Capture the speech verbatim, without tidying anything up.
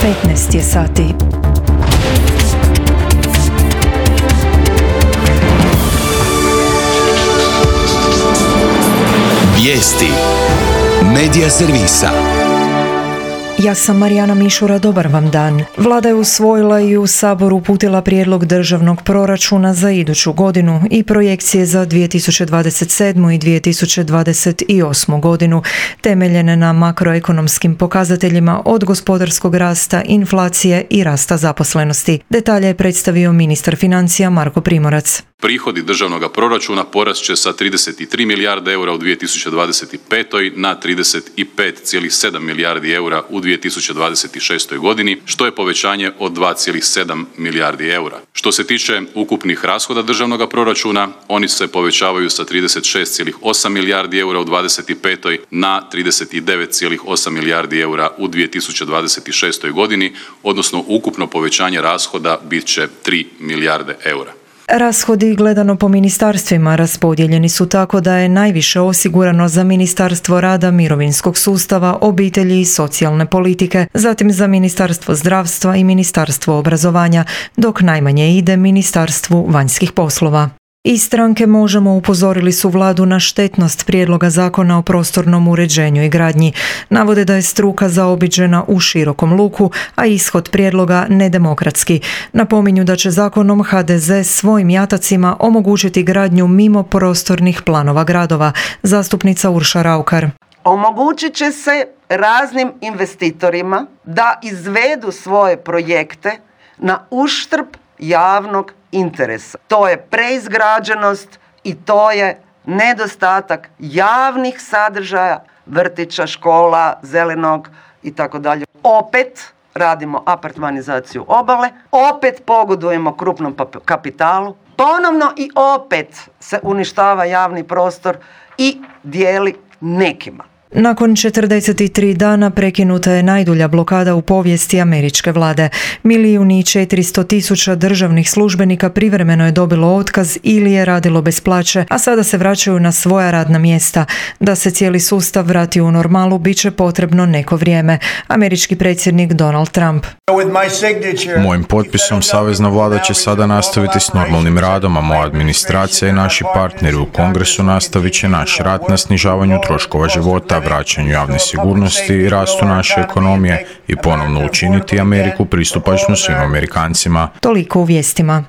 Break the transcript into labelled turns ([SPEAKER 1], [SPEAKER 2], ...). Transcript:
[SPEAKER 1] petnaest je sati.
[SPEAKER 2] Vijesti Medija servisa.
[SPEAKER 1] Ja sam Marijana Mišura, dobar vam dan. Vlada je usvojila i u Saboru uputila prijedlog državnog proračuna za iduću godinu i projekcije za dvije tisuće dvadeset sedmu. i dvije tisuće dvadeset osmu. godinu, temeljene na makroekonomskim pokazateljima od gospodarskog rasta, inflacije i rasta zaposlenosti. Detalje je predstavio ministar financija Marko Primorac.
[SPEAKER 3] Prihodi državnog proračuna porast će sa trideset tri milijarde eura u dvije tisuće dvadeset petoj na trideset pet zarez sedam milijardi eura u dvije tisuće dvadeset šestoj. godini, što je povećanje od dva zarez sedam milijardi eura. Što se tiče ukupnih rashoda državnog proračuna, oni se povećavaju sa trideset šest zarez osam milijardi eura u dvadeset petoj. na trideset devet zarez osam milijardi eura u dvije tisuće dvadeset šestoj. godini, odnosno ukupno povećanje rashoda bit će tri milijarde eura.
[SPEAKER 1] Rashodi gledano po ministarstvima raspodijeljeni su tako da je najviše osigurano za Ministarstvo rada, mirovinskog sustava, obitelji i socijalne politike, zatim za Ministarstvo zdravstva i Ministarstvo obrazovanja, dok najmanje ide Ministarstvu vanjskih poslova. Iz stranke Možemo upozorili su vladu na štetnost prijedloga zakona o prostornom uređenju i gradnji. Navode da je struka zaobiđena u širokom luku, a ishod prijedloga nedemokratski. Napominju da će zakonom ha de ze svojim jatacima omogućiti gradnju mimo prostornih planova gradova. Zastupnica Urša Raukar.
[SPEAKER 4] Omogućit će se raznim investitorima da izvedu svoje projekte na uštrb javnog interesa. To je preizgrađenost i to je nedostatak javnih sadržaja, vrtića, škola, zelenog i tako dalje. Opet radimo apartmanizaciju obale, opet pogodujemo krupnom kapitalu, ponovno i opet se uništava javni prostor i dijeli nekima.
[SPEAKER 1] Nakon četrdeset tri dana prekinuta je najdulja blokada u povijesti američke vlade. Milijun i četiristo tisuća državnih službenika privremeno je dobilo otkaz ili je radilo bez plaće, a sada se vraćaju na svoja radna mjesta. Da se cijeli sustav vrati u normalu, bit će potrebno neko vrijeme. Američki predsjednik Donald Trump.
[SPEAKER 5] Mojim potpisom savezna vlada će sada nastaviti s normalnim radom, a moja administracija i naši partneri u Kongresu nastavit će naš rad na snižavanju troškova života, vraćanju javne sigurnosti i rastu naše ekonomije i ponovno učiniti Ameriku pristupačnu svim Amerikancima.
[SPEAKER 1] Toliko u vijestima.